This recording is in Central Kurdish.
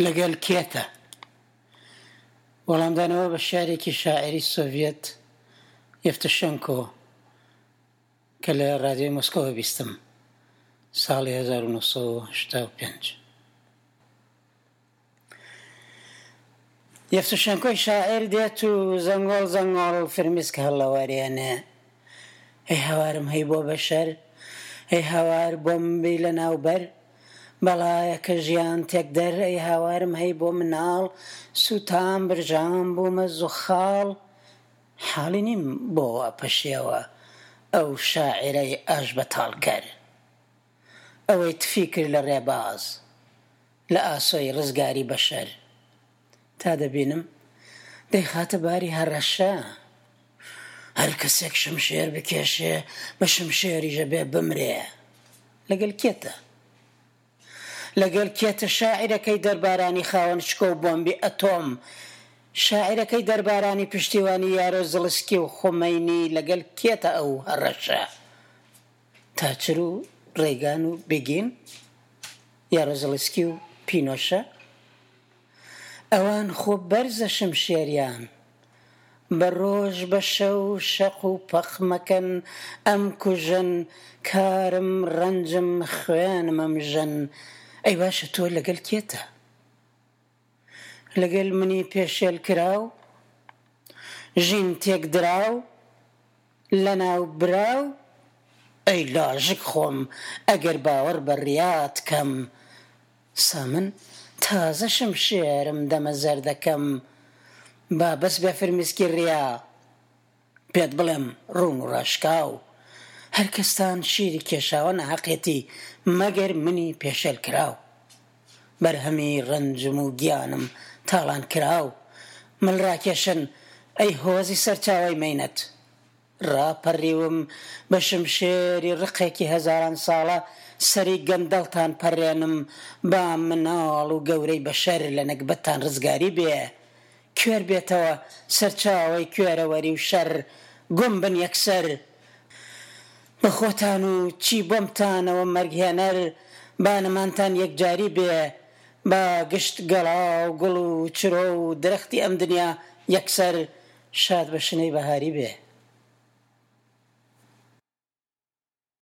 لەگەل کێتە؟ وەڵامدانەوە بە شیعرێکی شاعیری سۆڤیەت یەفتوشێنکۆ کە لە ڕادیۆی مۆسکۆوە بیستم ساڵی 1985. یەفتوشێنکۆی شاعیر دێت و زەنگۆڵ زەنگۆڵ فرمیسک هەڵەوەرێنێ. هەی هاوارم هەی بۆ بەشەر، هەی هاوار بۆمبی لەناوبەر، بەڵایەکە ژیان تێکدەر، ئەی هاوارم هەی بۆ مناڵ، سووتام برژام بوومە زوخاڵ، حاڵی نیم بۆ وا پەشێوە ئەو شاعیرەی ئاشبەتاڵکەر، ئەوەی تفی کرد لە ڕێباز، لە ئاسۆی ڕزگاری بەشەر. تا دەبینم دەیخاتە باری هەڕەشە، هەر کەسێک شمشێر بکێشێ بە شمشێریش ئەبێ بمرێ. لەگەل کێتە؟ لەگەل کێتە شاعیرەکەی دەربارانی خاوەن شکۆ و بۆمبی ئەتۆم، شاعیرەکەی دەربارانی پشتیوانی یارۆ زڵسکی و خومەینی لەگەل کێتە ئەو هەڕەشە؟ تاچر و ڕێگان و بگین، یارۆ زڵسکی و پینۆشە؟ ئەوان خۆ بەرزە شمشێریان بە ڕۆژ بە شەو شەق و پەق مەکەن ئەمکوژن کارم ڕەنجم خوێنم ئەمژن ئەی باشە تۆ لەگەل کێتە لەگەل منی پێشێل کراو ژین تێکدراو لەناو براو ئەی لاژک خۆم ئەگەر باوەڕ بە ڕیات کەم سا من تازە شمشێرم دەمە زەردەکەم با بەس بێ فرمیسکی ڕیا پێت بڵێم ڕوون و ڕاشکاو هەر کەستان شیری کێشاوە ناهەقێتی مەگەر منی پێشێل کراو بەرهەمی ڕەنجم و گیانم تاڵان کراو مل ڕاکێشن ئەی هۆزی سەرچاوەی مەینەت ڕاپەڕیوم بە شمشێری ڕقێکی هەزاران ساڵە سەری گەندەڵتان پەڕێنم با مناڵ و گەورەی بەشەر لە نەگبەتتان ڕزگاری بێ کوێر بێتەوە سەرچاوەی کوێرەوەری و شەر گوم بن یەکسەر بە خۆتان و چی بۆمتانەوە مەرگهێنەر با نەمانتان یەکجاری بێ با گشت گەڵا و گوڵ و چرۆ و درەختی ئەم دنیا یەکسەر شاد بە شنەی بەهاری بێ.